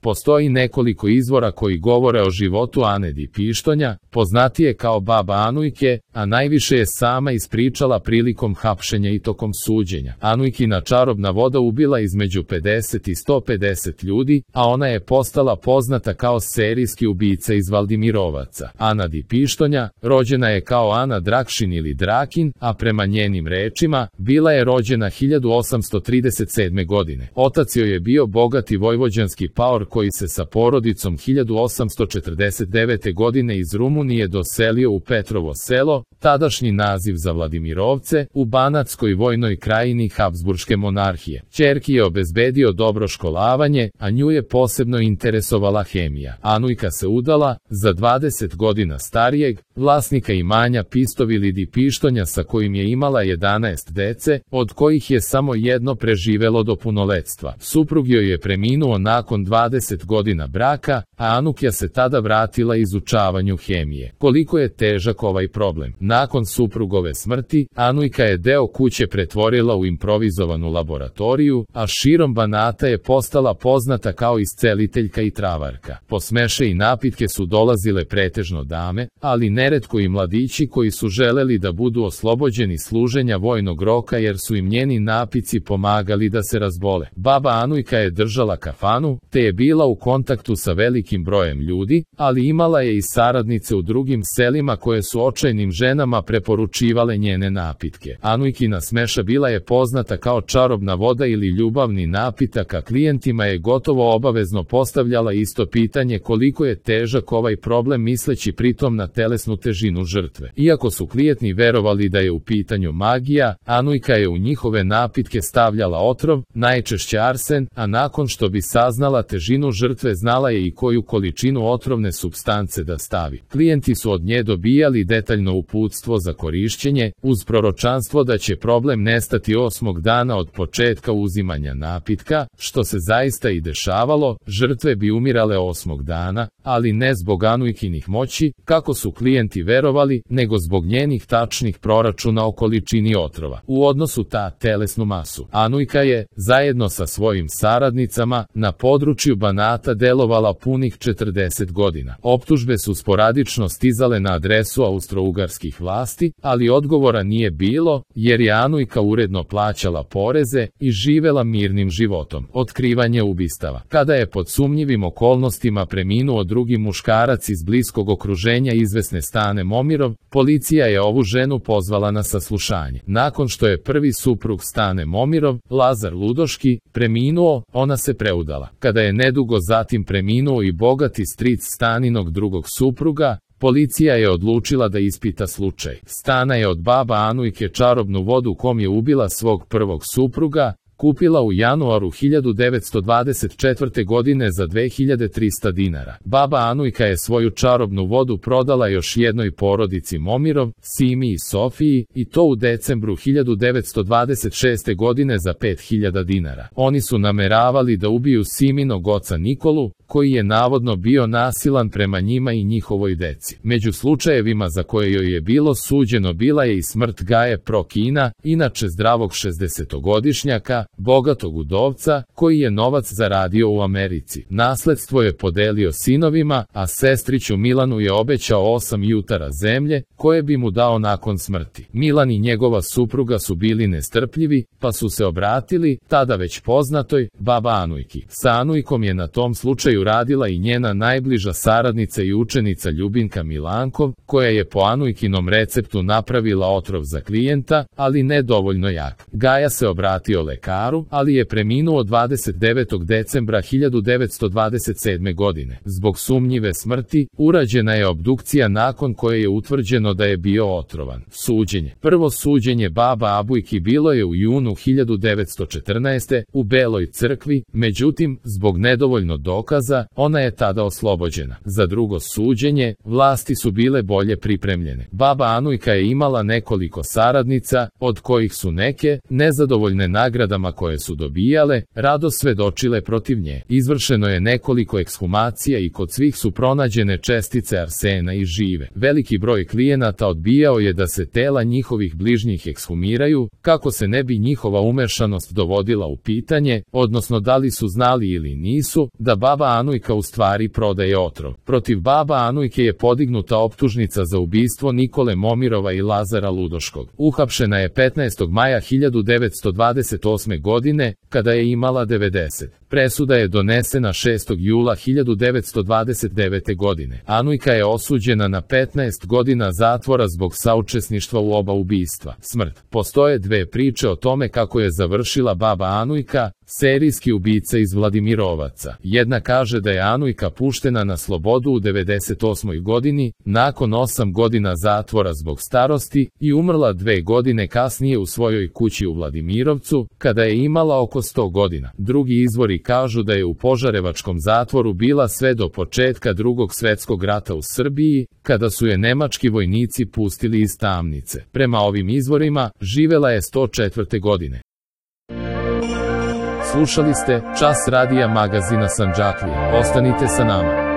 Postoji nekoliko izvora koji govore o životu Ane Di Pištonja, poznatije kao baba Anujke, a najviše je sama ispričala prilikom hapšenja i tokom suđenja. Anujkina čarobna voda ubila između 50 i 150 ljudi, a ona je postala poznata kao serijski ubica iz Valdimirovaca. Ana Di Pištonja rođena je kao Ana Drakšin ili Drakin, a prema njenim rečima, bila je rođena 1837. godine. Otac joj je bio bogati vojvođanski paor koji se sa porodicom 1849. godine iz Rumunije doselio u Petrovo selo, tadašnji naziv za Vladimirovce, u Banatskoj vojnoj krajini Habsburške monarhije. Ćerki je obezbedio dobro školavanje, a nju je posebno interesovala hemija. Anujka se udala za 20 godina starijeg, vlasnika imanja Pistovili Di Pištonja sa kojim je imala 11 dece, od kojih je samo jedno preživelo do punoletstva. Suprug joj je preminuo nakon 20 godina braka, a Anukja se tada vratila izučavanju hemije. Koliko je težak ovaj problem? Nakon suprugove smrti, Anujka je deo kuće pretvorila u improvizovanu laboratoriju, a širom Banata je postala poznata kao isceliteljka i travarka. Po smeše i napitke su dolazile pretežno dame, ali neretko i mladići koji su želeli da budu oslobođeni služenja vojnog roka jer su im njeni napici pomagali da se razbole. Baba Anujka je držala kafanu, te je bila u kontaktu sa velikim brojem ljudi, ali imala je i saradnice u drugim selima koje su očajnim ženama preporučivale njene napitke. Anujkina smeša bila je poznata kao čarobna voda ili ljubavni napitak, a klijentima je gotovo obavezno postavljala isto pitanje koliko je težak ovaj problem, misleći pritom na telesnu težinu žrtve. Iako su klijenti verovali da je u pitanju magija, Anujka je u njihove napitke stavljala otrov, najčešće arsen, a nakon što bi saznala težinu žrtve znala je i koju količinu otrovne supstance da stavi. Klijenti su od nje dobijali detaljno uputstvo za korišćenje, uz proročanstvo da će problem nestati 8. dana od početka uzimanja napitka, što se zaista i dešavalo. Žrtve bi umirale 8. dana, ali ne zbog Anujkinih moći, kako su klijenti verovali, nego zbog njenih tačnih proračuna o količini otrova u odnosu ta telesnu masu. Anujka je, zajedno sa svojim saradnicama, na području Banata delovala punih 40 godina. Optužbe su sporadično stizale na adresu austrougarskih vlasti, ali odgovora nije bilo, jer je Anujka uredno plaćala poreze i živela mirnim životom. Otkrivanje ubistava. Kada je pod sumnjivim okolnostima preminuo drugi muškarac iz bliskog okruženja izvesne Stane Momirov, policija je ovu ženu pozvala na saslušanje. Nakon što je prvi suprug Stane Momirov, Lazar Ludoški, preminuo, ona se preudala. Kada je nedugo zatim preminuo i bogati stric Staninog drugog supruga, policija je odlučila da ispita slučaj. Stana je od baba Anujke čarobnu vodu kom je ubila svog prvog supruga, kupila u januaru 1924. godine za 2300 dinara. Baba Anujka je svoju čarobnu vodu prodala još jednoj porodici Momirov, Simi i Sofiji, i to u decembru 1926. godine za 5000 dinara. Oni su nameravali da ubiju Siminog oca Nikolu, koji je navodno bio nasilan prema njima i njihovoj deci. Među slučajevima za koje joj je bilo suđeno bila je i smrt Gaje Prokina, inače zdravog 60-godišnjaka, bogatog udovca, koji je novac zaradio u Americi. Nasledstvo je podelio sinovima, a sestriću Milanu je obećao 8 jutara zemlje, koje bi mu dao nakon smrti. Milan i njegova supruga su bili nestrpljivi, pa su se obratili, tada već poznatoj, baba Anujki. Sa Anujkom je na tom slučaju radila i njena najbliža saradnica i učenica Ljubinka Milankov, koja je po Anujkinom receptu napravila otrov za klijenta, ali ne dovoljno jak. Gaja se obratio lekaru, ali je preminuo 29. decembra 1927. godine. Zbog sumnjive smrti, urađena je obdukcija nakon koje je utvrđeno da je bio otrovan. Suđenje. Prvo suđenje baba Abujki bilo je u junu 1914. u Beloj crkvi, međutim, zbog nedovoljno dokaza, ona je tada oslobođena. Za drugo suđenje, vlasti su bile bolje pripremljene. Baba Anujka je imala nekoliko saradnica, od kojih su neke, nezadovoljne nagradama presudama koje su dobijale, rado svedočile protiv nje. Izvršeno je nekoliko ekshumacija i kod svih su pronađene čestice arsena i žive. Veliki broj klijenata odbijao je da se tela njihovih bližnjih ekshumiraju, kako se ne bi njihova umešanost dovodila u pitanje, odnosno da li su znali ili nisu, da baba Anujka u stvari prodaje otrov. Protiv baba Anujke je podignuta optužnica za ubistvo Nikole Momirova i Lazara Ludoškog. Uhapšena je 15. maja 1928. godine, kada je imala 90. Presuda je donesena 6. jula 1929. godine. Anujka je osuđena na 15 godina zatvora zbog saučesništva u oba ubistva. Smrt. Postoje dve priče o tome kako je završila baba Anujka, serijski ubica iz Vladimirovaca. Jedna kaže da je Anujka puštena na slobodu u 98. godini, nakon 8 godina zatvora zbog starosti, i umrla 2 godine kasnije u svojoj kući u Vladimirovcu, kada je imala oko 100 godina. Drugi izvori kažu da je u Požarevačkom zatvoru bila sve do početka Drugog svetskog rata u Srbiji, kada su je nemački vojnici pustili iz tamnice. Prema ovim izvorima, živela je 104. godine. Slušali ste Čas radija magazina Sandžaklije. Ostanite sa nama.